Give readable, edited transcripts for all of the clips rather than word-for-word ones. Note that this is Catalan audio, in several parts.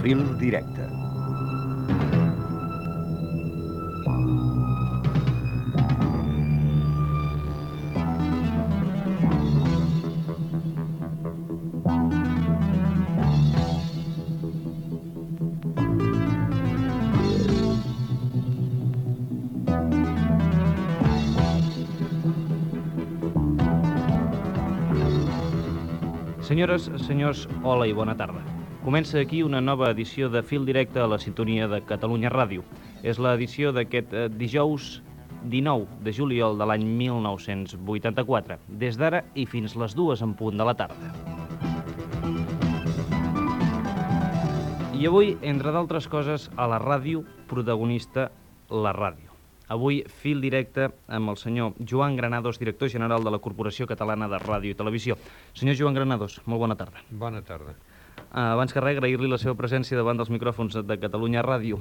Fil directe. Senyores, senyors, hola i bona tarda. Comença aquí una nova edició de Fil Directe a la sintonia de Catalunya Ràdio. És l'edició d'aquest dijous 19 de juliol de l'any 1984, des d'ara i fins les 2 en punt de la tarda. I avui, entre d'altres coses, a la ràdio, protagonista la ràdio. Avui, fil directe amb el senyor Joan Granados, director general de la Corporació Catalana de Ràdio i Televisió. Senyor Joan Granados, molt bona tarda. Bona tarda. Abans que res, agrair-li la seva presència davant dels micròfons de Catalunya Ràdio.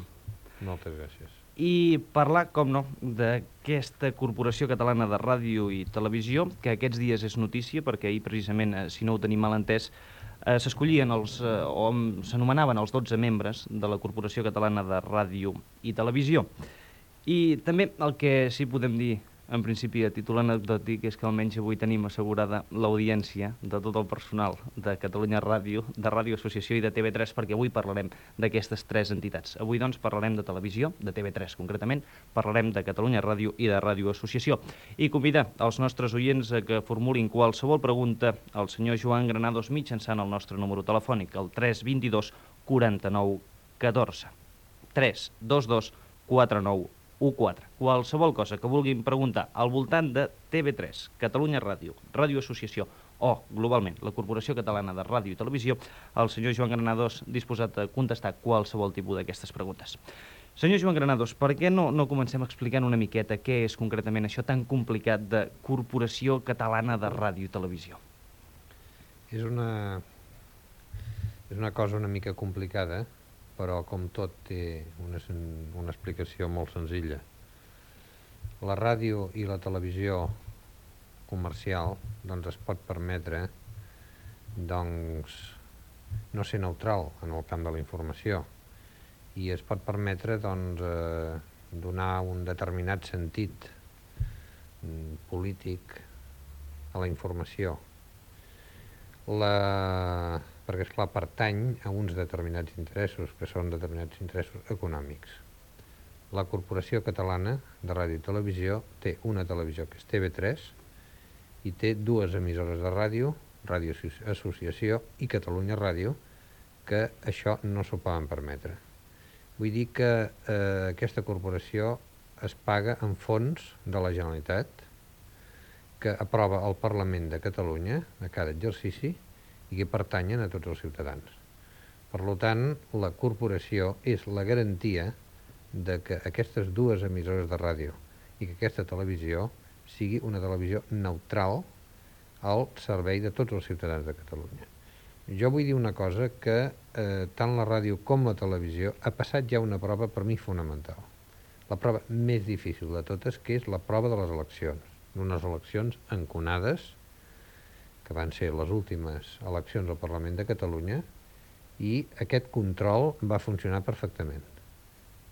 Moltes gràcies. I parlar, com no, d'aquesta Corporació Catalana de Ràdio i Televisió, que aquests dies és notícia, perquè ahir, precisament, si no ho tenim mal entès, s'escollien o s'anomenaven els 12 membres de la Corporació Catalana de Ràdio i Televisió. I també el que sí podem dir, en principi, a títol anecdòtic, és que almenys avui tenim assegurada l'audiència de tot el personal de Catalunya Ràdio, de Ràdio Associació i de TV3, perquè avui parlarem d'aquestes tres entitats. Avui, doncs, parlarem de televisió, de TV3 concretament, parlarem de Catalunya Ràdio i de Ràdio Associació. I convidar els nostres oients a que formulin qualsevol pregunta al senyor Joan Granados mitjançant el nostre número telefònic, el 322 49 14. 322 49 14. Qualsevol cosa que vulguin preguntar al voltant de TV3, Catalunya Ràdio, Ràdio Associació o, globalment, la Corporació Catalana de Ràdio i Televisió, el senyor Joan Granados disposat a contestar qualsevol tipus d'aquestes preguntes. Senyor Joan Granados, per què no comencem explicant una miqueta què és concretament això tan complicat de Corporació Catalana de Ràdio i Televisió? És una cosa una mica complicada, però com tot té una explicació molt senzilla. La ràdio i la televisió comercial doncs es pot permetre no ser neutral en el camp de la informació i es pot permetre donar un determinat sentit polític a la informació. Perquè, esclar, pertany a uns determinats interessos, que són determinats interessos econòmics. La Corporació Catalana de Ràdio i Televisió té una televisió que és TV3 i té dues emissores de ràdio, Ràdio Associació i Catalunya Ràdio, que això no s'ho poden permetre. Vull dir que aquesta corporació es paga en fons de la Generalitat, que aprova el Parlament de Catalunya a cada exercici i que pertanyen a tots els ciutadans. Per tant, la corporació és la garantia de que aquestes dues emissores de ràdio i que aquesta televisió sigui una televisió neutral al servei de tots els ciutadans de Catalunya. Jo vull dir una cosa, que tant la ràdio com la televisió ha passat ja una prova per mi fonamental. La prova més difícil de totes, que és la prova de les eleccions. Unes eleccions enconades, que van ser les últimes eleccions al Parlament de Catalunya, i aquest control va funcionar perfectament.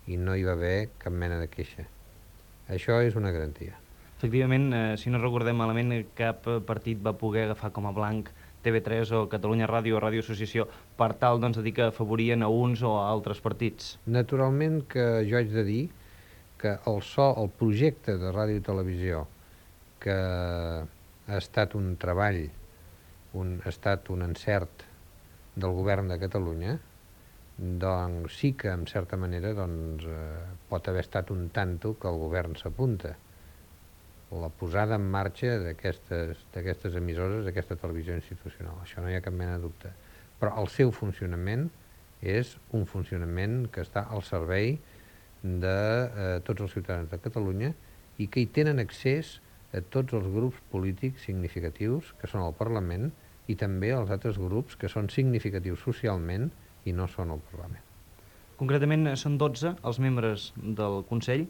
I no hi va haver cap mena de queixa. Això és una garantia. Efectivament, si no recordem malament, cap partit va poder agafar com a blanc TV3 o Catalunya Ràdio o Ràdio Associació per tal de dir que afavorien a uns o a altres partits. Naturalment que jo haig de dir que el projecte de ràdio i televisió, que ha estat un treball, ha estat un encert del govern de Catalunya, doncs sí que, en certa manera, pot haver estat un tanto que el govern s'apunta. La posada en marxa d'aquestes emissores, d'aquesta televisió institucional. Això no hi ha cap mena de dubte. Però el seu funcionament és un funcionament que està al servei de tots els ciutadans de Catalunya i que hi tenen accés a tots els grups polítics significatius que són al Parlament i també als altres grups que són significatius socialment i no són al Parlament. Concretament són 12 els membres del Consell,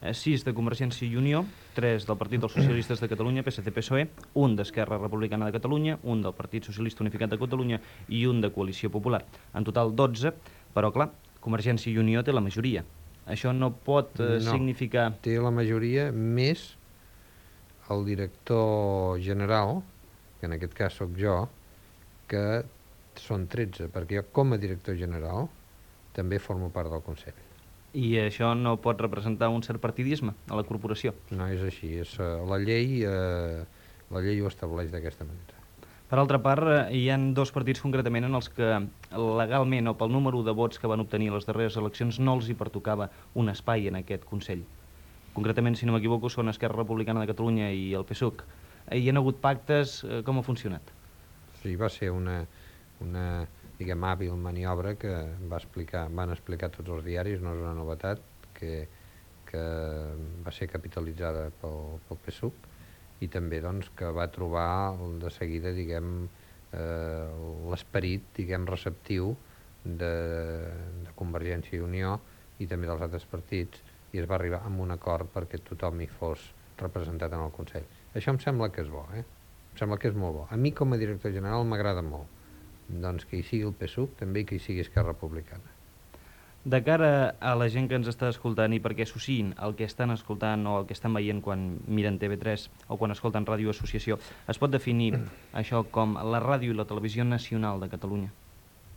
6 de Convergència i Unió, 3 del Partit dels Socialistes de Catalunya, PSC-PSOE, un d'Esquerra Republicana de Catalunya, un del Partit Socialista Unificat de Catalunya i un de Coalició Popular. En total 12, Però, clar, Convergència i Unió té la majoria. Això no pot significar... Té la majoria més el director general, que en aquest cas sóc jo, que són 13, perquè jo com a director general també formo part del Consell. I això no pot representar un cert partidisme a la corporació? No és així, la llei ho estableix d'aquesta manera. Per altra part, hi ha dos partits concretament en els que legalment o pel número de vots que van obtenir a les darreres eleccions no els hi pertocava un espai en aquest Consell. Concretament, si no m'equivoco, són Esquerra Republicana de Catalunya i el PSUC. Hi ha hagut pactes, com ha funcionat? Sí, va ser una diguem, hàbil maniobra que van explicar tots els diaris, no és una novetat, que va ser capitalitzada pel PSUC i també doncs, que va trobar de seguida l'esperit receptiu de Convergència i Unió i també dels altres partits, i es va arribar a un acord perquè tothom hi fos representat en el Consell. Això em sembla que és bo, Em sembla que és molt bo. A mi com a director general m'agrada molt doncs, que hi sigui el PSUC, també que hi sigui Esquerra Republicana. De cara a la gent que ens està escoltant i perquè associïn el que estan escoltant o el que estan veient quan miren TV3 o quan escolten Ràdio Associació, es pot definir això com la ràdio i la televisió nacional de Catalunya?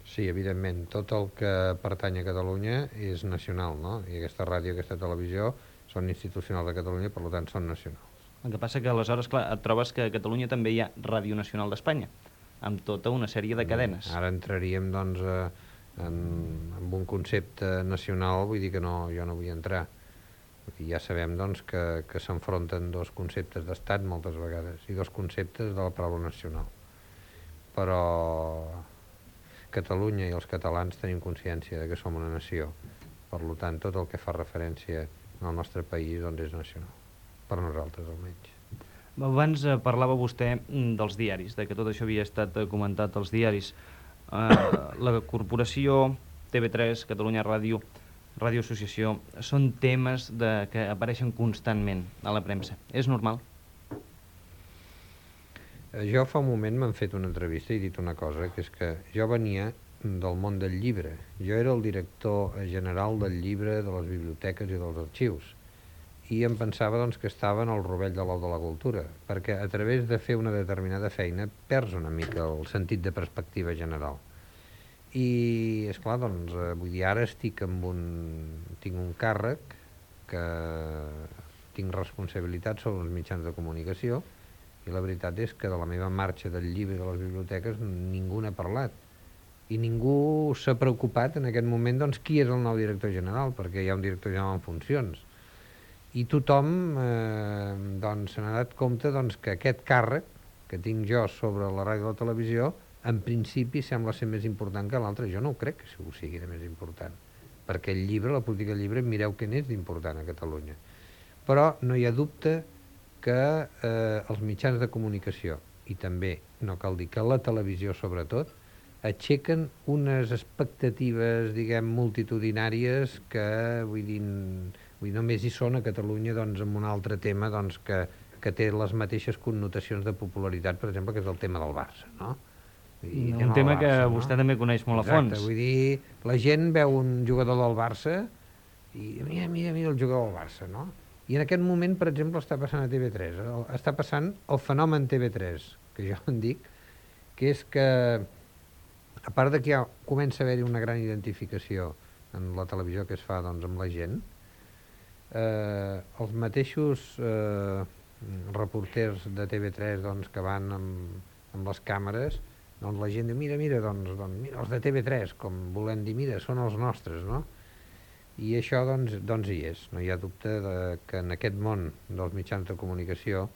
Sí, evidentment. Tot el que pertany a Catalunya és nacional, no? I aquesta ràdio i aquesta televisió són institucionals de Catalunya, per tant són nacionals. El que passa que aleshores, clar, et trobes que a Catalunya també hi ha Ràdio Nacional d'Espanya, amb tota una sèrie de cadenes. Ara entraríem, doncs, en un concepte nacional, vull dir que jo no vull entrar. I ja sabem, doncs, que s'enfronten dos conceptes d'estat moltes vegades i dos conceptes de la paraula nacional. Però Catalunya i els catalans tenim consciència de que som una nació. Per tant, tot el que fa referència al nostre país doncs és nacional. Per nosaltres, almenys. Abans parlava vostè dels diaris, de que tot això havia estat comentat als diaris. La corporació, TV3, Catalunya Ràdio, Ràdio Associació, són temes que apareixen constantment a la premsa. És normal? Jo fa un moment m'han fet una entrevista i he dit una cosa, que és que jo venia del món del llibre. Jo era el director general del llibre, de les biblioteques i dels arxius. I em pensava doncs, que estava en el rovell de l'ou de la cultura, perquè a través de fer una determinada feina perds una mica el sentit de perspectiva general. I, esclar, doncs, vull dir, ara tinc un càrrec que tinc responsabilitat sobre els mitjans de comunicació i la veritat és que de la meva marxa del llibre i de les biblioteques ningú n'ha parlat. I ningú s'ha preocupat en aquest moment doncs, qui és el nou director general, perquè hi ha un director general en funcions. I tothom se n'ha donat compte doncs, que aquest càrrec que tinc jo sobre la ràdio i la televisió en principi sembla ser més important que l'altre. Jo no ho crec que ho sigui de més important, perquè el llibre, la política del llibre, mireu què n'és d'important a Catalunya. Però no hi ha dubte que els mitjans de comunicació, i també, no cal dir que la televisió sobretot, aixequen unes expectatives, diguem, multitudinàries que, vull dir, només hi són a Catalunya doncs, amb un altre tema doncs, que té les mateixes connotacions de popularitat, per exemple, que és el tema del Barça, no? Un tema que vostè també coneix molt a fons. Exacte, vull dir, la gent veu un jugador del Barça i mira el jugador del Barça, no? I en aquest moment, per exemple, està passant a TV3, està passant el fenomen TV3, que jo en dic, que és que, a part de que ja comença a haver-hi una gran identificació en la televisió que es fa doncs, amb la gent, els mateixos reporters de TV3 doncs, que van amb les càmeres, doncs la gent diu, mira, doncs, mira, els de TV3, com volem dir, mira, són els nostres, no? I això, doncs hi és. No hi ha dubte que en aquest món dels mitjans de comunicació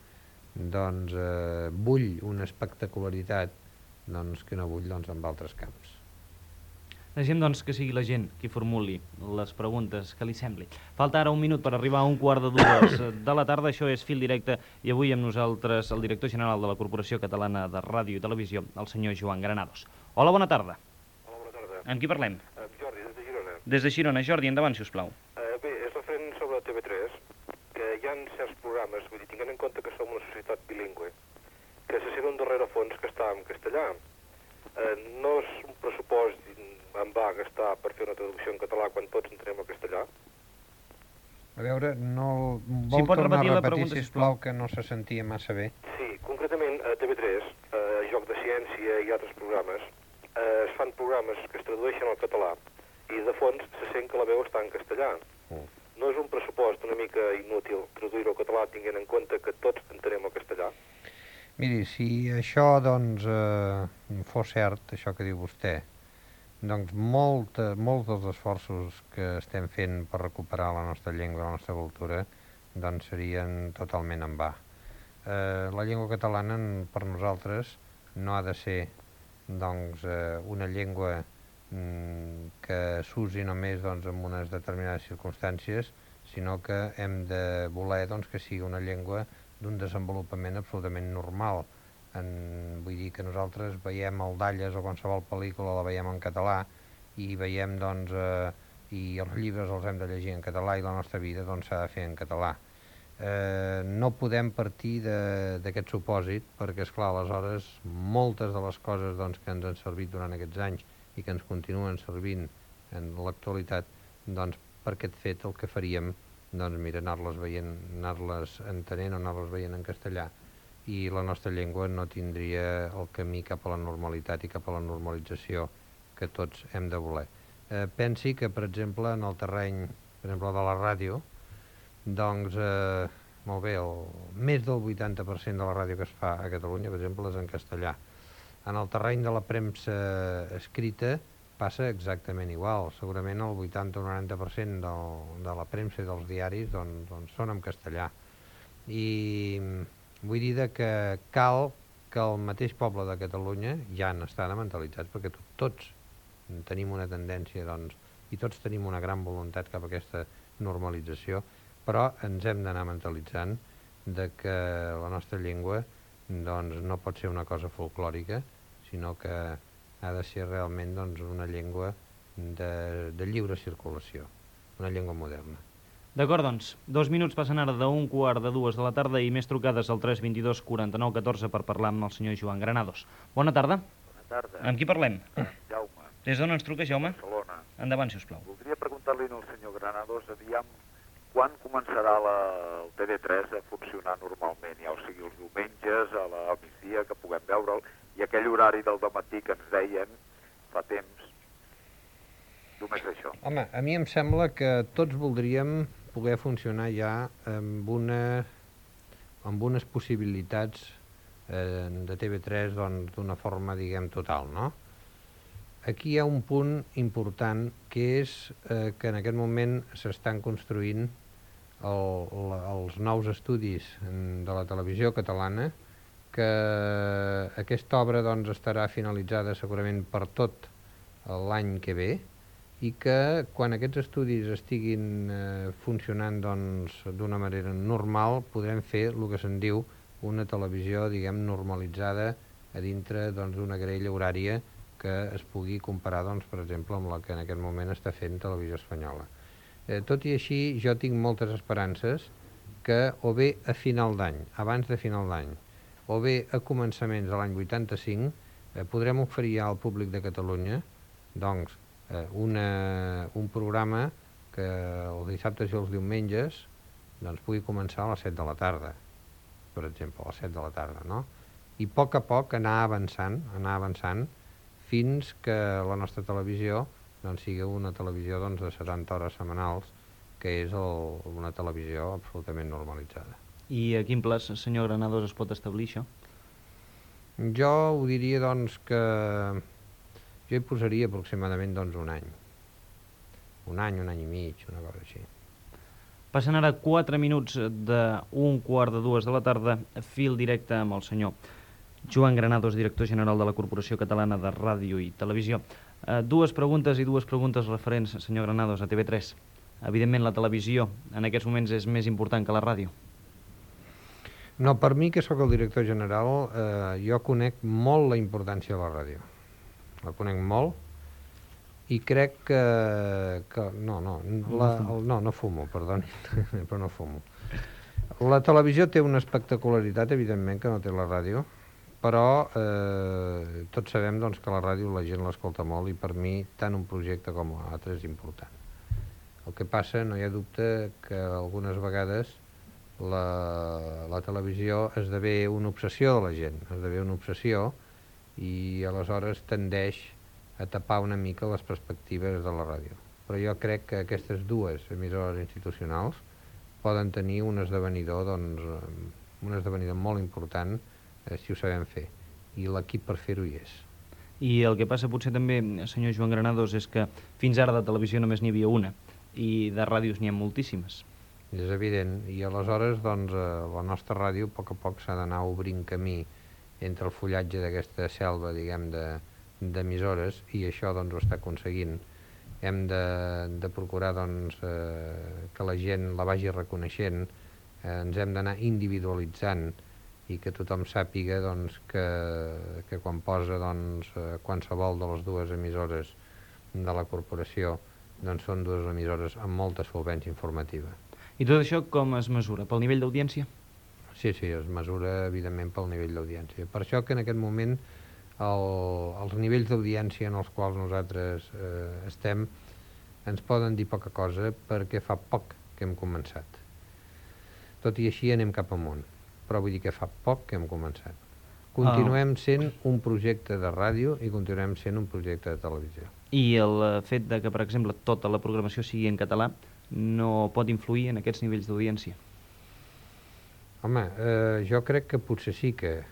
doncs, bull una espectacularitat doncs, que no bull doncs, en altres camps. Deixem doncs que sigui la gent qui formuli les preguntes que li sembli. Falta ara un minut per arribar a 1:15 de la tarda. Això és Fil Directe i avui amb nosaltres el director general de la Corporació Catalana de Ràdio i Televisió, el senyor Joan Granados. Hola, bona tarda. Hola, bona tarda. Amb qui parlem? Amb Jordi, des de Girona. Des de Girona. Jordi, endavant, si us plau. Bé, és referent sobre TV3, que hi ha certs programes, vull dir, tinguent en compte que som una societat bilingüe, que se sent un darrere fons que està en castellà. No és un pressupost en va gastar per fer una traducció en català quan tots entenem el castellà? A veure, no... Si Vol pot tornar repetir a la repetir, pregunta, sisplau, que no se sentia massa bé. Sí, concretament a TV3, Joc de Ciència i altres programes, es fan programes que es tradueixen al català i de fons se sent que la veu està en castellà. No és un pressupost una mica inútil traduir-ho al català tenint en compte que tots entenem el castellà? Miri, si això, doncs, fos cert, això que diu vostè, doncs molts dels esforços que estem fent per recuperar la nostra llengua, la nostra cultura, doncs serien totalment en va. La llengua catalana, per nosaltres, no ha de ser, doncs, una llengua que s'usi només doncs, en unes determinades circumstàncies, sinó que hem de voler doncs, que sigui una llengua d'un desenvolupament absolutament normal. Vull dir que nosaltres veiem el Dalles o qualsevol pel·lícula la veiem en català i veiem, doncs, i els llibres els hem de llegir en català i la nostra vida doncs, s'ha de fer en català. No podem partir d'aquest supòsit perquè, esclar, aleshores moltes de les coses doncs, que ens han servit durant aquests anys i que ens continuen servint en l'actualitat, doncs per aquest fet el que faríem, doncs mira, anar-les veient, anar-les entenent o anar-les veient en castellà, i la nostra llengua no tindria el camí cap a la normalitat i cap a la normalització que tots hem de voler. Pensi que, per exemple, en el terreny, per exemple, de la ràdio, doncs, molt bé, més del 80% de la ràdio que es fa a Catalunya, per exemple, és en castellà. En el terreny de la premsa escrita passa exactament igual. Segurament el 80 o 90% de la premsa i dels diaris doncs són en castellà. I vull dir que cal que el mateix poble de Catalunya ja n'estan mentalitzats, perquè tots tenim una tendència, doncs, i tots tenim una gran voluntat cap a aquesta normalització, però ens hem d'anar mentalitzant de que la nostra llengua doncs, no pot ser una cosa folclòrica, sinó que ha de ser realment doncs, una llengua de lliure circulació, una llengua moderna. D'acord, doncs, 2 minuts passen ara d'un quart de 2 de la tarda i més trucades al 322 49 14 per parlar amb el senyor Joan Granados. Bona tarda. Bona tarda. Amb qui parlem? Jaume. Des d'on ens truca, Jaume? Barcelona. Endavant, sisplau. Voldria preguntar-li al senyor Granados, aviam, quan començarà el TV3 a funcionar normalment, ja o sigui els diumenges, a la migdia, que puguem veure'l, i aquell horari del dematí que ens deien fa temps. Només això. Home, a mi em sembla que tots voldríem poder funcionar ja amb unes possibilitats de TV3 doncs, d'una forma, diguem, total, no? Aquí hi ha un punt important, que és que en aquest moment s'estan construint els nous estudis de la televisió catalana, que aquesta obra doncs, estarà finalitzada segurament per tot l'any que ve, i que quan aquests estudis estiguin funcionant d'una manera normal podrem fer el que se'n diu una televisió, diguem, normalitzada a dintre d'una grella horària que es pugui comparar, doncs, per exemple, amb la que en aquest moment està fent Televisió Espanyola. Tot i així, jo tinc moltes esperances que o bé a final d'any, abans de final d'any, o bé a començaments de l'any 85, podrem oferir al públic de Catalunya doncs, un programa que els dissabtes i els diumenges doncs, pugui començar a les 7 de la tarda, per exemple, a les 7 de la tarda, no? I a poc anar avançant fins que la nostra televisió doncs, sigui una televisió doncs, de 70 hores setmanals, que és una televisió absolutament normalitzada. I a quin plaç, senyor Granados, es pot establir això? Jo ho diria doncs, que jo hi posaria aproximadament doncs, un any. Un any i mig, una cosa així. Passen ara 4 minuts d'un quart de 2 de la tarda, fil directe amb el senyor Joan Granados, director general de la Corporació Catalana de Ràdio i Televisió. Dues preguntes referents, senyor Granados, a TV3. Evidentment, la televisió en aquests moments és més important que la ràdio. No, per mi, que sóc el director general, jo conec molt la importància de la ràdio. La conec molt i crec que no fumo, perdoni, però no fumo. La televisió té una espectacularitat, evidentment, que no té la ràdio, però tots sabem doncs, que la ràdio la gent l'escolta molt i per mi tant un projecte com l'altre és important. El que passa, no hi ha dubte que algunes vegades la televisió esdevé una obsessió de la gent, esdevé una obsessió i aleshores tendeix a tapar una mica les perspectives de la ràdio. Però jo crec que aquestes dues emissores institucionals poden tenir un esdevenidor molt important si ho sabem fer, i l'equip per fer-ho hi és. I el que passa potser també, senyor Joan Granados, és que fins ara de televisió només n'hi havia una, i de ràdios n'hi ha moltíssimes. És evident, i aleshores doncs, la nostra ràdio a poc s'ha d'anar obrint camí entre el fullatge d'aquesta selva, diguem, d'emissores, i això doncs, ho està aconseguint. Hem de procurar doncs, que la gent la vagi reconeixent, ens hem d'anar individualitzant i que tothom sàpiga doncs, que quan posa doncs, qualsevol de les dues emissores de la corporació doncs són dues emissores amb molta solvència informativa. I tot això com es mesura? Pel nivell d'audiència? Sí, es mesura evidentment pel nivell d'audiència. Per això que en aquest moment els nivells d'audiència en els quals nosaltres estem ens poden dir poca cosa perquè fa poc que hem començat. Tot i així anem cap amunt, però vull dir que fa poc que hem començat. Continuem sent un projecte de ràdio i continuem sent un projecte de televisió. I el fet de que, per exemple, tota la programació sigui en català no pot influir en aquests nivells d'audiència? Home, jo crec que potser sí que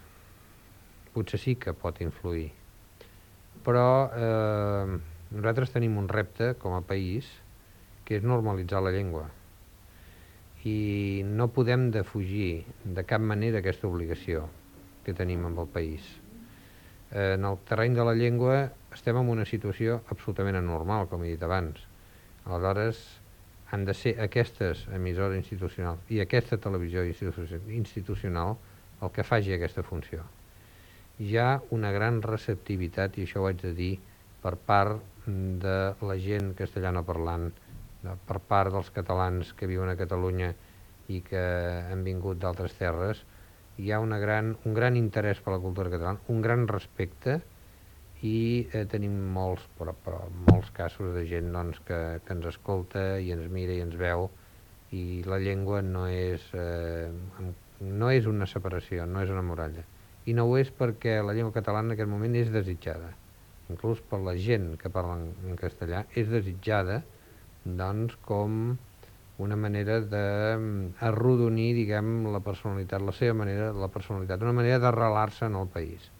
pot influir, però nosaltres tenim un repte com a país que és normalitzar la llengua i no podem defugir de cap manera aquesta obligació que tenim amb el país. En el terreny de la llengua estem en una situació absolutament anormal, com he dit abans. Aleshores, han de ser aquestes emissores institucionals i aquesta televisió institucional el que faci aquesta funció. Hi ha una gran receptivitat, i això ho haig de dir, per part de la gent castellano parlant, per part dels catalans que viuen a Catalunya i que han vingut d'altres terres. Hi ha un gran interès per la cultura catalana, un gran respecte, i tenim molts casos de gent doncs, que ens escolta i ens mira i ens veu, i la llengua no és una separació, no és una muralla. I no ho és perquè la llengua catalana en aquest moment és desitjada. Inclús per la gent que parla en castellà és desitjada doncs, com una manera d'arrodonir, diguem, la personalitat, la seva manera, la personalitat, una manera d'arrelar-se en el país.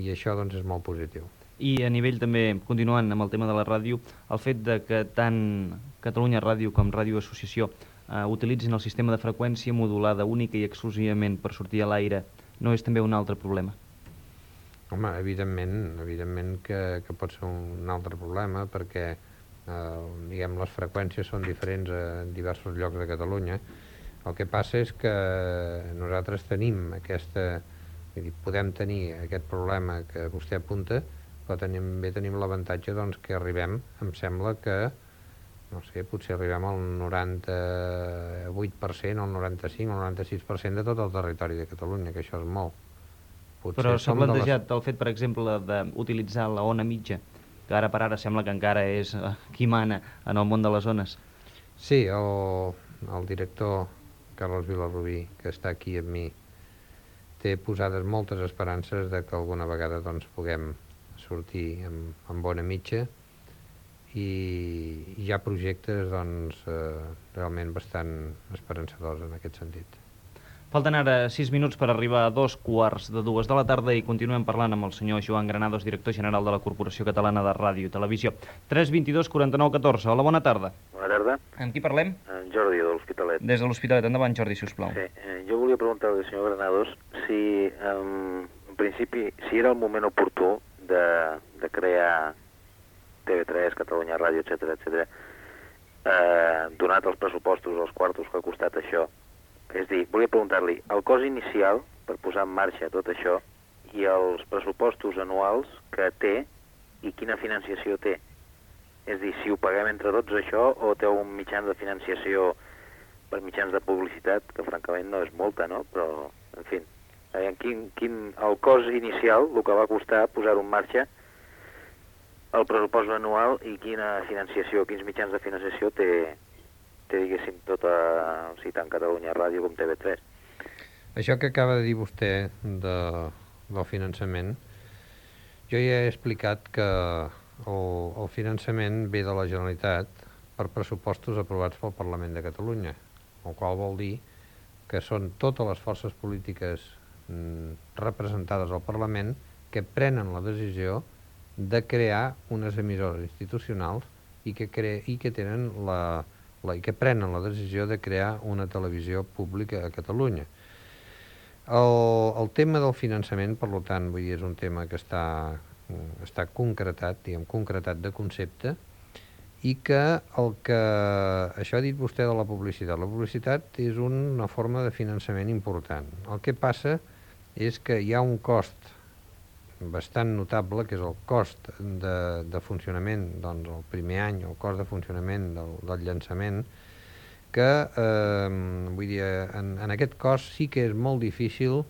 I això doncs, és molt positiu. I a nivell també, continuant amb el tema de la ràdio, el fet de que tant Catalunya Ràdio com Ràdio Associació utilitzin el sistema de freqüència modulada única i exclusivament per sortir a l'aire, no és també un altre problema? Home, evidentment que pot ser un altre problema perquè diguem, les freqüències són diferents en diversos llocs de Catalunya. El que passa és que nosaltres tenim podem tenir aquest problema que vostè apunta, però també tenim l'avantatge doncs, que arribem, em sembla que, no sé, potser arribem al 98%, al 95%, al 96% de tot el territori de Catalunya, que això és molt. Però s'ha plantejat el fet, per exemple, d'utilitzar la ona mitja, que ara per ara sembla que encara és qui mana en el món de les ones. Sí, el director Carles Vilarrubí, que està aquí amb mi, té posades moltes esperances de que alguna vegada doncs, puguem sortir amb bona mitja, i hi ha projectes doncs, realment bastant esperançadors en aquest sentit. Falten ara 6 minuts per arribar a 2:15 de la tarda i continuem parlant amb el senyor Joan Granados, director general de la Corporació Catalana de Ràdio i Televisió. 322 49 14. Hola, bona tarda. Bona tarda. Amb qui parlem? En Jordi, de l'Hospitalet. Des de l'Hospitalet. Endavant, Jordi, si us plau. Sí, jo volia preguntar-li al senyor Granados si, en principi, si era el moment oportú de crear TV3, Catalunya Ràdio, etc, donat els pressupostos, els quartos que ha costat això. És dir, volia preguntar-li el cost inicial per posar en marxa tot això i els pressupostos anuals que té i quina financiació té. És dir, si ho paguem entre tots això o té un mitjans de financiació per mitjans de publicitat, que francament no és molta, no? Però, en fi, el cost inicial, el que va costar posar-ho en marxa, el pressupost anual i quina financiació, quins mitjans de financiació té diguéssim, tant Catalunya Ràdio com TV3. Això que acaba de dir vostè del finançament, jo ja he explicat que el finançament ve de la Generalitat per pressupostos aprovats pel Parlament de Catalunya, el qual vol dir que són totes les forces polítiques representades al Parlament que prenen la decisió de crear unes emissores institucionals i que tenen i que prenen la decisió de crear una televisió pública a Catalunya. El tema del finançament, per tant, vull dir, és un tema que està concretat, diguem, concretat de concepte, i que això ha dit vostè de la publicitat. La publicitat és una forma de finançament important. El que passa és que hi ha un cost bastant notable, que és el cost de funcionament, doncs el primer any, el cost de funcionament del llançament, que vull dir, en aquest cost sí que és molt difícil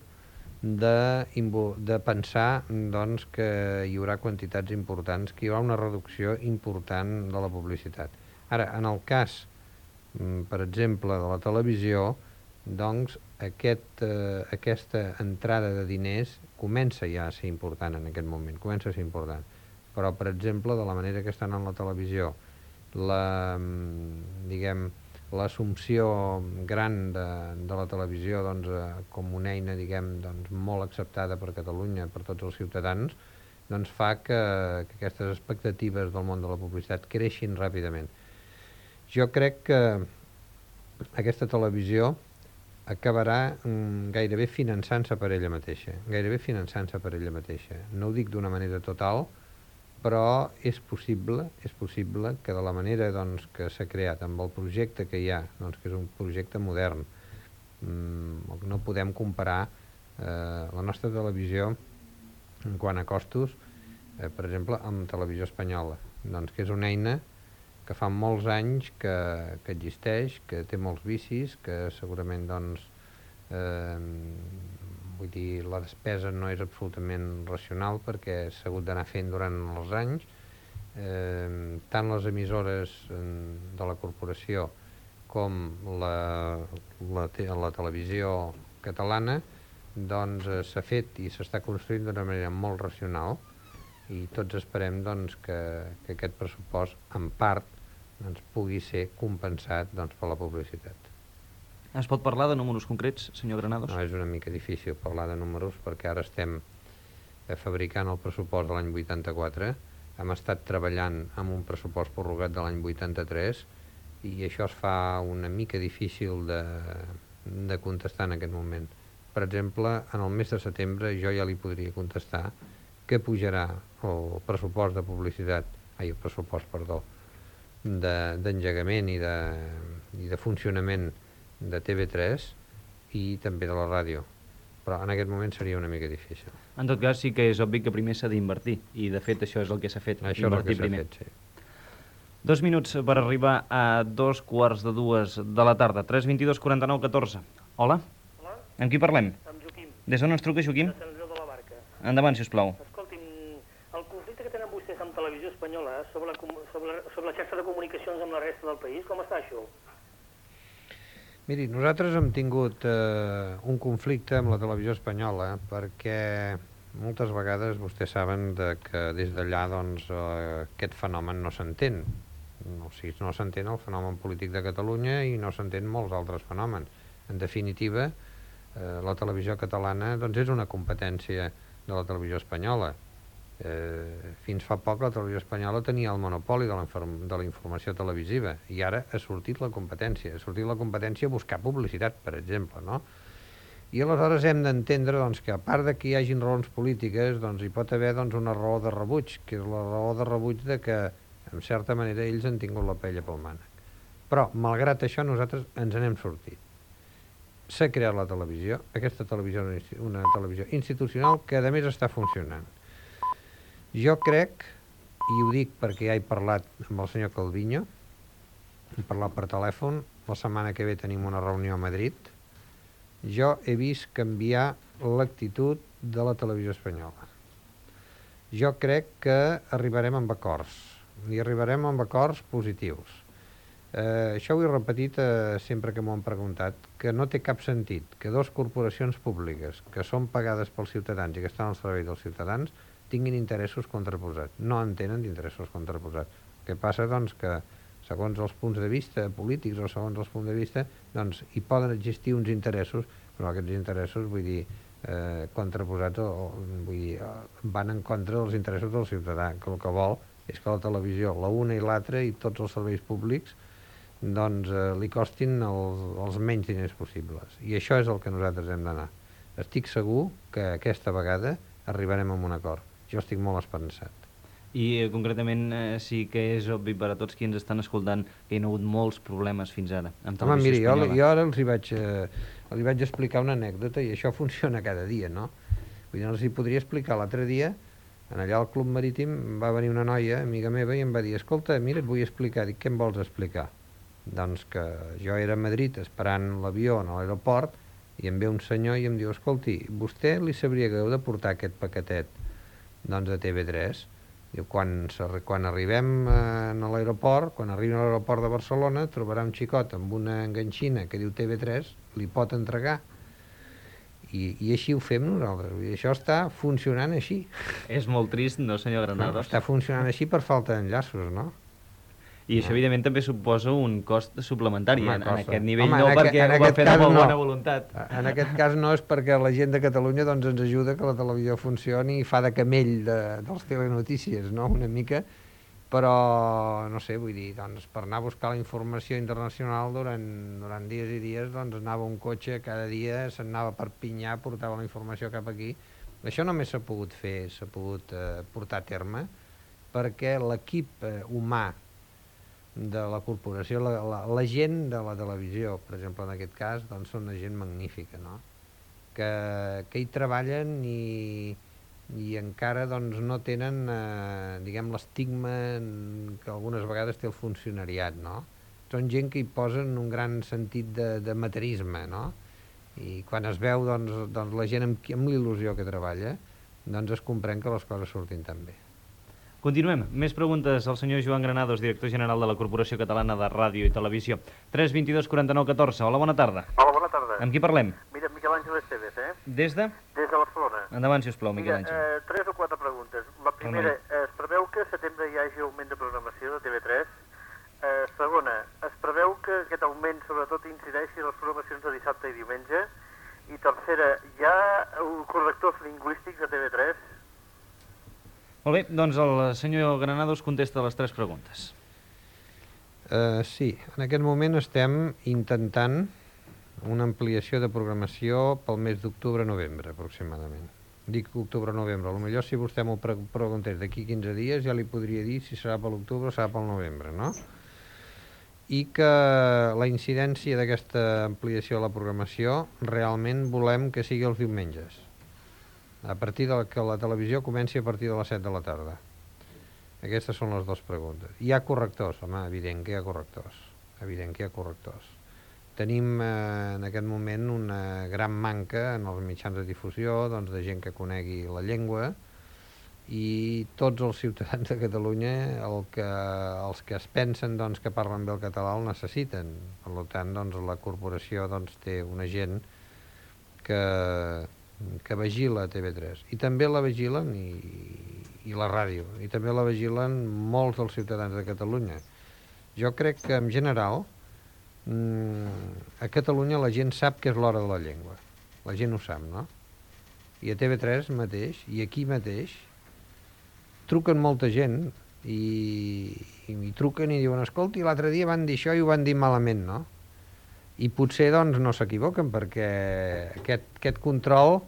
de pensar doncs, que hi haurà quantitats importants, que hi haurà una reducció important de la publicitat. Ara, en el cas, per exemple, de la televisió, doncs aquesta entrada de diners comença ja a ser important en aquest moment, comença a ser important. Però, per exemple, de la manera que estan en la televisió, l'assumpció gran de la televisió doncs, com una eina doncs, molt acceptada per Catalunya, per tots els ciutadans, doncs fa que aquestes expectatives del món de la publicitat creixin ràpidament. Jo crec que aquesta televisió acabarà gairebé finançant-se per ella mateixa, No ho dic d'una manera total, però és possible que de la manera doncs, que s'ha creat, amb el projecte que hi ha, doncs, que és un projecte modern, no podem comparar la nostra televisió en quant a costos, per exemple, amb televisió espanyola, doncs, que és una eina que fa molts anys que existeix, que té molts vicis, que segurament doncs, vull dir, la despesa no és absolutament racional perquè s'ha hagut d'anar fent durant els anys. Tant les emissores de la corporació com la televisió catalana doncs s'ha fet i s'està construint d'una manera molt racional i tots esperem doncs, que aquest pressupost en part doncs, pugui ser compensat doncs, per la publicitat. Es pot parlar de números concrets, senyor Granados? No, és una mica difícil parlar de números perquè ara estem fabricant el pressupost de l'any 84, hem estat treballant amb un pressupost prorrogat de l'any 83 i això es fa una mica difícil de contestar en aquest moment. Per exemple, en el mes de setembre jo ja li podria contestar que pujarà el pressupost de publicitat, el pressupost, perdó, d'engegament i de funcionament de TV3 i també de la ràdio, però en aquest moment seria una mica difícil. En tot cas, sí que és obvi que primer s'ha d'invertir, i de fet això és el que s'ha fet, això invertir primer. Fet, sí. 2 minuts per arribar a 2:45 de la tarda. 322 49 14. Hola? Hola? Amb qui parlem? Amb Joaquim. Des d'on ens truca, Joaquim? De Sant Andreu de la Barca. Endavant, sisplau. Escolti'm, el conflicte que tenen vostès amb Televisió Espanyola sobre la xarxa de comunicacions amb la resta del país, com està això? Miri, nosaltres hem tingut un conflicte amb la televisió espanyola perquè moltes vegades vostès saben que des d'allà doncs, aquest fenomen no s'entén. O sigui, no s'entén el fenomen polític de Catalunya i no s'entén molts altres fenòmens. En definitiva, la televisió catalana doncs, és una competència de la televisió espanyola. Fins fa poc la televisió espanyola tenia el monopoli de la informació televisiva i ara ha sortit la competència. Ha sortit la competència a buscar publicitat, per exemple, no? I aleshores hem d'entendre doncs, que a part de que hi hagin raons polítiques, doncs, hi pot haver doncs, una raó de rebuig, que és la raó de rebuig de que, en certa manera, ells han tingut la pella pel mànec. Però, malgrat això, nosaltres ens n'hem sortit. S'ha creat la televisió, aquesta televisió és una televisió institucional que, a més, està funcionant. Jo crec, i ho dic perquè ja he parlat amb el senyor Calviño, hem parlat per telèfon, la setmana que ve tenim una reunió a Madrid, jo he vist canviar l'actitud de la televisió espanyola. Jo crec que arribarem amb acords, i arribarem amb acords positius. Això ho he repetit sempre que m'ho han preguntat, que no té cap sentit que dues corporacions públiques que són pagades pels ciutadans i que estan al servei dels ciutadans tinguin interessos contraposats. No en tenen d'interessos contraposats. El que passa, doncs, que segons els punts de vista polítics o segons els punts de vista, doncs hi poden existir uns interessos, però aquests interessos, vull dir, contraposats vull dir, van en contra dels interessos del ciutadà, que el que vol és que la televisió, la una i l'altra i tots els serveis públics, doncs li costin els menys diners possibles. I això és el que nosaltres hem d'anar. Estic segur que aquesta vegada arribarem a un acord. Jo estic molt esperançat. I concretament sí que és obvi per a tots qui ens estan escoltant que hi ha hagut molts problemes fins ara amb televisió espanyola. Jo ara els vaig explicar una anècdota i això funciona cada dia, no? Vull dir, els hi podria explicar l'altre dia, allà al Club Marítim va venir una noia, amiga meva, i em va dir, escolta, mira, et vull explicar. Dic, què em vols explicar? Doncs que jo era a Madrid esperant l'avió a l'aeroport i em ve un senyor i em diu, escolti, vostè li sabria greu de portar aquest paquetet doncs de TV3? Diu, quan arribem a l'aeroport, quan arribem a l'aeroport de Barcelona, trobarà un xicot amb una enganxina que diu TV3, li pot entregar. I així ho fem nosaltres. Vull dir, això està funcionant així. És molt trist, no, senyor Granados? No, està funcionant així per falta d'enllaços, no? I això, evidentment, també suposa un cost suplementari. En aquest nivell no, perquè ho va fer amb bona voluntat. En aquest cas no és perquè la gent de Catalunya doncs, ens ajuda que la televisió funcioni i fa de camell dels telenotícies, no?, una mica, però, no sé, vull dir, doncs, per anar a buscar la informació internacional durant dies i dies, doncs anava un cotxe cada dia, se'n anava a Perpinyà, portava la informació cap aquí. Això només s'ha pogut fer, s'ha pogut portar a terme, perquè l'equip humà de la corporació, la gent de la televisió, per exemple, en aquest cas, doncs són una gent magnífica, no? Que hi treballen i encara doncs, no tenen, diguem, l'estigma que algunes vegades té el funcionariat, no? Són gent que hi posen un gran sentit de materisme, no? I quan es veu doncs, la gent amb l'il·lusió que treballa, doncs es comprèn que les coses surtin tan bé. Continuem. Més preguntes al senyor Joan Granados, director general de la Corporació Catalana de Ràdio i Televisió. 322 49 14. Hola, bona tarda. Hola, bona tarda. Amb qui parlem? Mira, Miquel Àngel Esteves, Des de? Des de Barcelona. Endavant, sisplau, Miquel Àngel. Mira, 3 o 4 preguntes. La primera, es preveu que a setembre hi hagi augment de programació de TV3? Segona, es preveu que aquest augment sobretot incideixi en les programacions de dissabte i diumenge? I tercera, hi ha correctors lingüístics a TV3? Molt bé, doncs el senyor Granados contesta les 3 preguntes. Sí, en aquest moment estem intentant una ampliació de programació pel mes d'octubre-novembre, aproximadament. Dic octubre-novembre, potser si vostè m'ho preguntés d'aquí 15 dies ja li podria dir si serà per l'octubre o serà pel novembre, no? I que la incidència d'aquesta ampliació de la programació realment volem que sigui els diumenges, a partir que la televisió comenci a partir de les 7 de la tarda. Aquestes són les 2 preguntes. Hi ha correctors, home, evident que hi ha correctors. Evident que hi ha correctors. Tenim en aquest moment una gran manca en els mitjans de difusió doncs, de gent que conegui la llengua i tots els ciutadans de Catalunya, els que es pensen doncs, que parlen bé el català el necessiten. Per tant, doncs, la corporació doncs, té una gent que vigila TV3 i també la vigilen i la ràdio i també la vigilen molts dels ciutadans de Catalunya. Jo crec que en general a Catalunya la gent sap que és l'hora de la llengua, la gent ho sap, no? I a TV3 mateix i aquí mateix truquen molta gent i truquen i diuen, escolti, l'altre dia van dir això i ho van dir malament, no? I potser doncs, no s'equivoquen perquè aquest control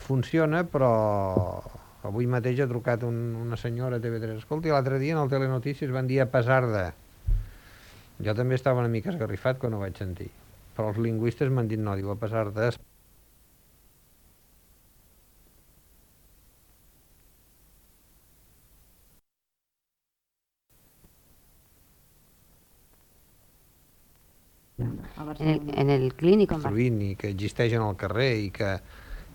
funciona, però avui mateix ha trucat una senyora a TV3. Escolti, l'altre dia en el Telenotícies van dir a pesar de... Jo també estava una mica esgarrifat quan ho vaig sentir, però els lingüistes m'han dit no, diu a pesar de... En el clínic i que existeix en el carrer i que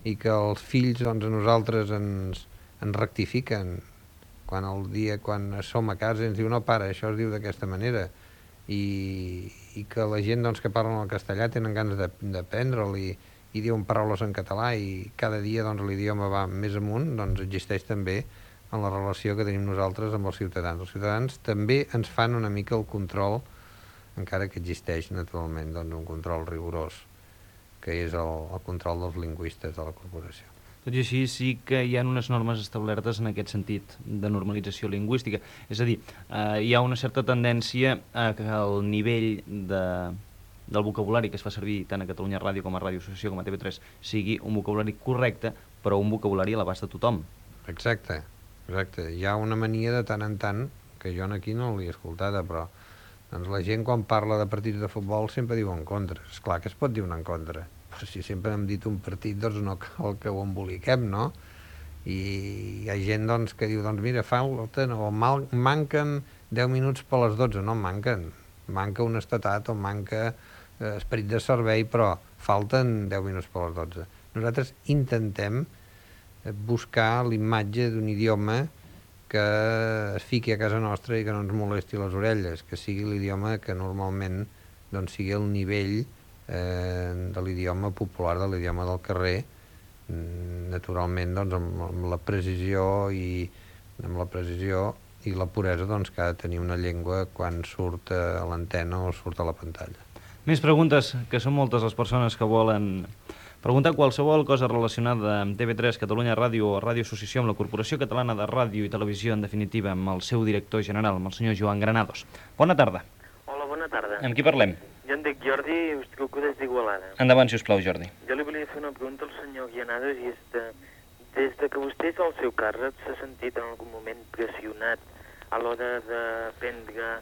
i que els fills doncs, a nosaltres ens rectifiquen quan som a casa i ens diu no, pare, això es diu d'aquesta manera, i que la gent doncs, que parlen el castellà tenen ganes d'aprendre'l i diuen paraules en català i cada dia doncs, l'idioma va més amunt, doncs existeix també en la relació que tenim nosaltres amb els ciutadans. Els ciutadans també ens fan una mica el control, encara que existeix naturalment doncs, un control rigorós, que és el control dels lingüistes de la corporació. Tot i així, sí que hi ha unes normes establertes en aquest sentit de normalització lingüística. És a dir, hi ha una certa tendència a que el nivell del vocabulari que es fa servir tant a Catalunya Ràdio com a Ràdio Associació com a TV3 sigui un vocabulari correcte, però un vocabulari a l'abast de tothom. Exacte. Hi ha una mania de tant en tant, que jo aquí no l'he escoltada, però doncs la gent quan parla de partits de futbol sempre diu en contra. És clar que es pot dir un en contra, però si sempre hem dit un partit, doncs no cal que ho emboliquem, no? I hi ha gent doncs, que diu, doncs mira, manquen 10 minuts per les 12, no manquen. Manca honestedat o manca esperit de servei, però falten 10 minuts per les 12. Nosaltres intentem buscar l'imatge d'un idioma que es fiqui a casa nostra i que no ens molesti les orelles, que sigui l'idioma que normalment doncs, sigui el nivell de l'idioma popular, de l'idioma del carrer, naturalment doncs, amb la precisió i la puresa doncs, que ha de tenir una llengua quan surt a l'antena o surt a la pantalla. Més preguntes, que són moltes les persones que volen preguntar qualsevol cosa relacionada amb TV3, Catalunya Ràdio o Ràdio Associació, amb la Corporació Catalana de Ràdio i Televisió, en definitiva, amb el seu director general, amb el senyor Joan Granados. Bona tarda. Hola, bona tarda. Amb qui parlem? Jo em dic Jordi i us truco des d'Igualada. Endavant, si us plau, Jordi. Jo li volia fer una pregunta al senyor Granados i és des de que vostè és al seu càrrec s'ha sentit en algun moment pressionat a l'hora de prendre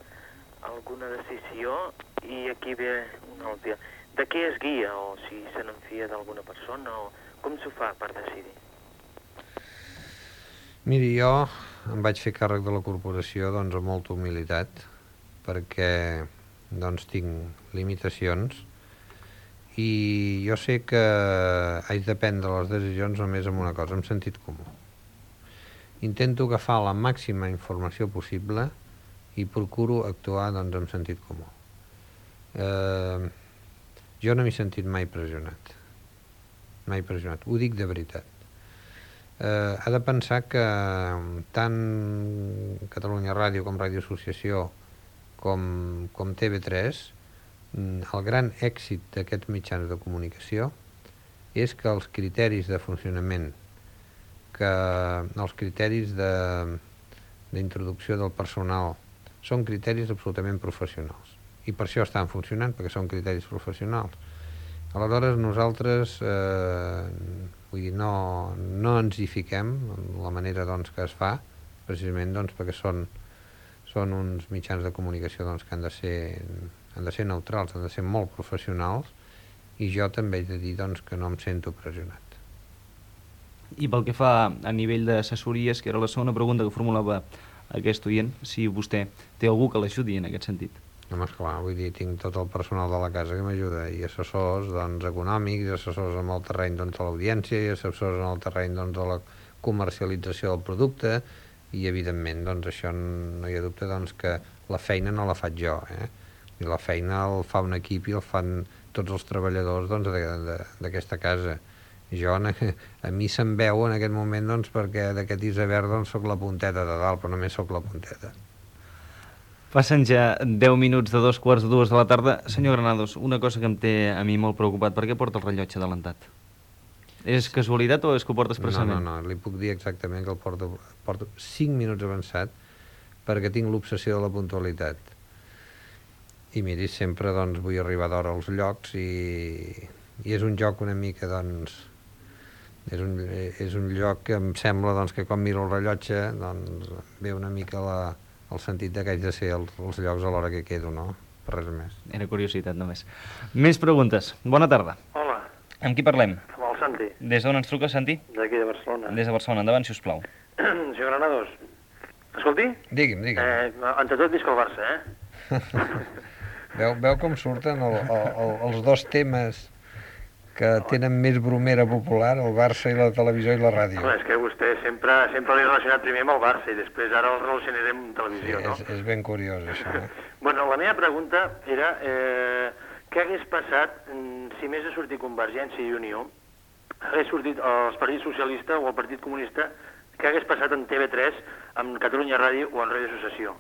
alguna decisió i aquí ve una altra. De què es guia, o si se n'enfia d'alguna persona, o com s'ho fa per decidir? Miri, jo em vaig fer càrrec de la corporació doncs, amb molta humilitat, perquè doncs, tinc limitacions i jo sé que haig de prendre les decisions només amb una cosa, amb sentit comú. Intento agafar la màxima informació possible i procuro actuar doncs, amb sentit comú. Jo no m'he sentit mai pressionat. Mai pressionat. Ho dic de veritat. Ha de pensar que tant Catalunya Ràdio com Ràdio Associació com TV3, el gran èxit d'aquests mitjans de comunicació és que els criteris de funcionament, que els criteris d'introducció del personal són criteris absolutament professionals. I per això estan funcionant, perquè són criteris professionals. Aleshores, nosaltres vull dir, no ens hi fiquem en la manera doncs, que es fa, precisament doncs, perquè són uns mitjans de comunicació doncs, que han de ser neutrals, han de ser molt professionals, i jo també he de dir doncs, que no em sento pressionat. I pel que fa a nivell d'assessories, que era la segona pregunta que formulava aquest oient, si vostè té algú que l'ajudi en aquest sentit. Home, esclar, vull dir, tinc tot el personal de la casa que m'ajuda, i assessors doncs, econòmics, i assessors en el terreny doncs, de l'audiència, i assessors en el terreny doncs, de la comercialització del producte, i evidentment doncs, això no hi ha dubte doncs, que la feina no la faig jo, I la feina el fa un equip i el fan tots els treballadors doncs, d'aquesta casa. Jo, a mi se'm veu en aquest moment doncs, perquè d'aquest iceberg doncs, soc la punteta de dalt, però només soc la punteta. Passen ja 10 minuts de 2:45 de la tarda. Senyor Granados, una cosa que em té a mi molt preocupat, per què porta el rellotge adelantat? És casualitat o és que ho porta expressament? No, li puc dir exactament que el porto 5 minuts avançat perquè tinc l'obsessió de la puntualitat. I miri, sempre doncs, vull arribar d'hora als llocs i és un joc una mica, doncs, és un lloc que em sembla doncs, que quan miro el rellotge doncs, ve una mica el sentit que haig de ser als llocs a l'hora que quedo, no? Per res més. Era curiositat només. Més preguntes. Bona tarda. Hola. Amb qui parlem? Amb el Santi. Des d'on ens truca, Santi? D'aquí de Barcelona. Des de Barcelona. Endavant, si us plau. Senyor Granados, escolti. Digui'm. Entre tot visc el Barça, Veu com surten els dos temes que tenen més bromera popular, el Barça i la televisió i la ràdio. Home, és que vostè sempre l'he relacionat primer amb el Barça i després ara el relacionarem amb televisió, no? És ben curiós, això. Bueno, la meva pregunta era què hagués passat si més ha sortit Convergència i Unió, hagués sortit el Partit Socialista o el Partit Comunista, què hagués passat en TV3, amb Catalunya Ràdio o en Ràdio Associació?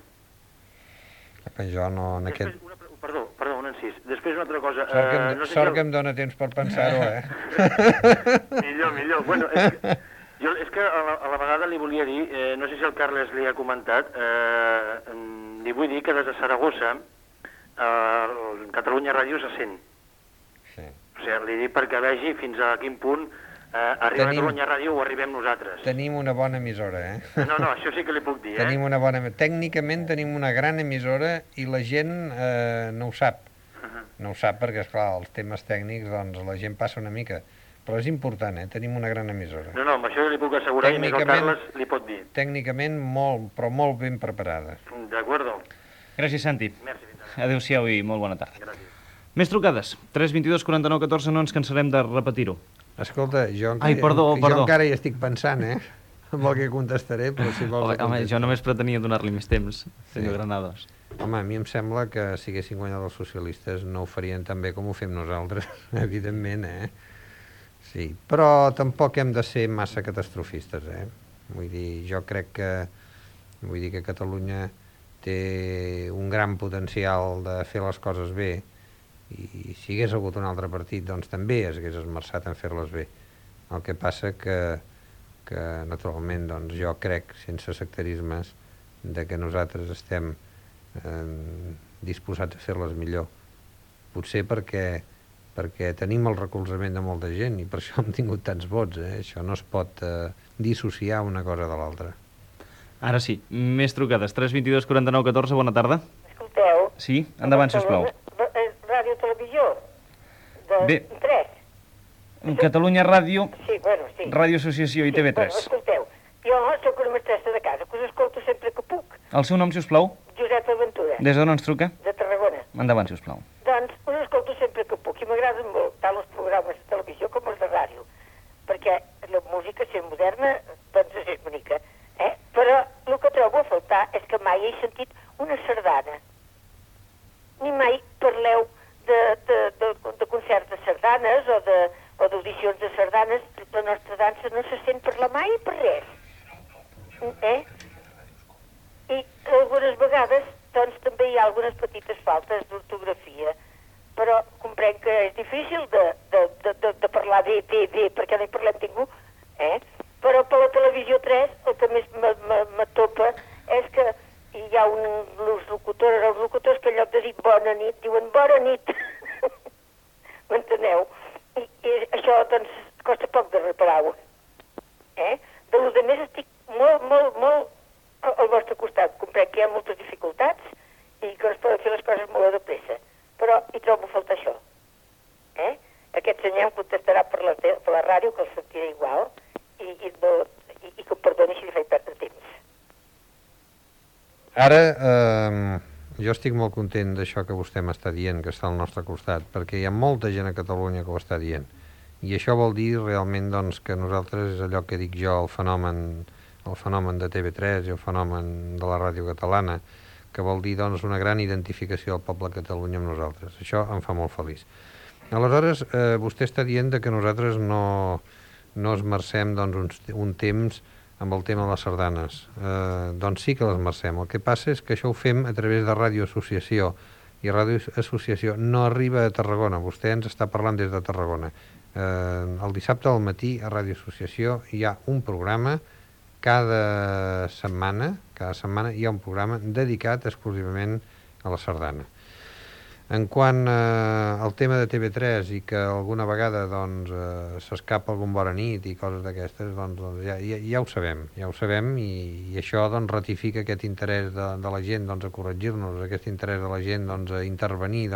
Jo no... En Després, aquest... Perdó, un encís. Després una altra cosa... Sort que em dóna temps per pensar-ho, Millor. Bueno, és que a la vegada li volia dir, no sé si el Carles li ha comentat, li vull dir que des de Saragossa Catalunya Ràdio se sent. Sí. O sigui, li dic perquè vegi fins a quin punt arriba Catalunya Ràdio o arribem nosaltres. Tenim una bona emissora, No, això sí que li puc dir, Tenim una bona... Tècnicament tenim una gran emissora i la gent no ho sap. No ho sap perquè, esclar, els temes tècnics, doncs, la gent passa una mica. Però és important, Tenim una gran emissora. No, amb això li puc assegurar, i més el Carles li pot dir. Tècnicament molt, però molt ben preparada. D'acord. Gràcies, Santi. Merci. Adéu-siau i molt bona tarda. Gràcies. Més trucades. 3 22 49 14, no ens cansarem de repetir-ho. Escolta, jo perdó. encara hi estic pensant, amb el que contestaré, però si vols... Home, jo només pretenia donar-li més temps, senyor Granados. Home, a mi em sembla que si haguessin guanyat els socialistes no ho farien tan bé com ho fem nosaltres, evidentment, Sí, però tampoc hem de ser massa catastrofistes, Vull dir, jo crec que Catalunya té un gran potencial de fer les coses bé, i si hagués hagut un altre partit, doncs també es hagués esmerçat en fer-les bé. El que passa que naturalment, doncs jo crec, sense sectarismes, que nosaltres estem disposats a fer-les millor. Potser perquè tenim el recolzament de molta gent i per això hem tingut tants vots. Això no es pot dissociar una cosa de l'altra. Ara sí, més trucades. 3 22 49 14, bona tarda. Escolteu? Sí, endavant, sisplau. Ràdio Televisió, Bé. 3. Catalunya Ràdio, Sí, sí. Ràdio Associació i TV3. Bueno, escolteu, jo soc una mestressa de casa, que us escolto sempre que puc. El seu nom, sisplau? Josep Aventura. Des d'on ens truca? De Tarragona. Endavant, sisplau. Doncs us escolto sempre que puc i m'agraden molt tant els programes de televisió com els de ràdio, perquè la música, si és moderna, doncs és bonica. Però el que trobo a faltar és que mai he sentit una sardana. Ni mai parleu de concerts de sardanes o d'audicions de sardanes. La nostra dansa no se sent parlar mai per res. I algunes vegades doncs també hi ha algunes petites faltes d'ortografia, però comprenc que és difícil de parlar bé, perquè no hi parlem ningú, però per la televisió 3 el que més m'atopa és que hi ha els locutors que en lloc de dir bona nit, diuen bona nit. M'enteneu? I això, doncs, costa poc de reparar-ho. De lo de més estic molt al vostre costat. Comprenc que hi ha moltes dificultats i que no es poden fer les coses molt de pressa. Però hi trobo a faltar això. Aquest senyor em contestarà per la ràdio, que el sentiré igual, i que em perdoni si li faig perdre temps. Ara, jo estic molt content d'això que vostè m'està dient, que està al nostre costat, perquè hi ha molta gent a Catalunya que ho està dient. I això vol dir realment doncs, que nosaltres, és allò que dic jo, el fenomen de TV3 i el fenomen de la ràdio catalana, que vol dir doncs, una gran identificació del poble de Catalunya amb nosaltres. Això em fa molt feliç. Aleshores, vostè està dient que nosaltres no esmercem doncs, un temps amb el tema de les sardanes. Doncs sí que l'esmercem. El que passa és que això ho fem a través de Ràdio Associació, i Ràdio Associació no arriba a Tarragona. Vostè ens està parlant des de Tarragona. El dissabte al matí a Ràdio Associació hi ha un programa, cada setmana hi ha un programa dedicat exclusivament a la sardana. En quant al tema de TV3 i que alguna vegada s'escapa algun bona nit i coses d'aquestes, doncs ja ho sabem i això doncs, ratifica aquest interès de la gent a corregir-nos, aquest interès de la gent a intervenir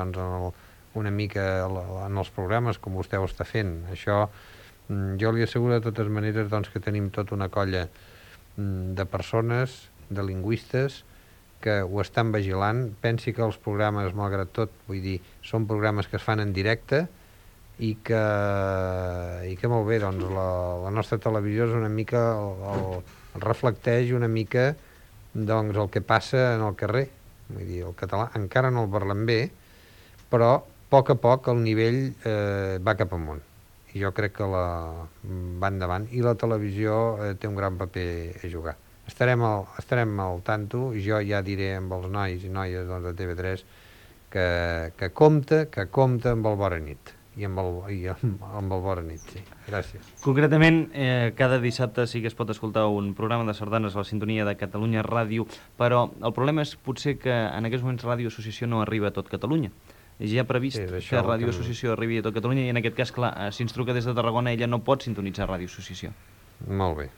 una mica en els programes com vostè ho està fent. Això jo li asseguro de totes maneres que tenim tota una colla de persones, de lingüistes, que ho estan vigilant. Pensi que els programes, malgrat tot, vull dir, són programes que es fan en directe i que molt bé, doncs la nostra televisió és una mica, reflecteix una mica doncs el que passa en el carrer. Vull dir, el català encara no el parlem bé, però a poc el nivell va cap amunt. I jo crec que va endavant, i la televisió té un gran paper a jugar. Estarem al tanto, i jo ja diré amb els nois i noies de TV3 que compta amb el Bona Nit. I amb el Bona Nit, sí. Gràcies. Concretament, cada dissabte sí que es pot escoltar un programa de sardanes a la sintonia de Catalunya Ràdio, però el problema és potser que en aquests moments Ràdio Associació no arriba a tot Catalunya. Ja ha previst que Ràdio Associació arribi a tot Catalunya, i en aquest cas, clar, si ens truca des de Tarragona, ella no pot sintonitzar Ràdio Associació. Molt bé.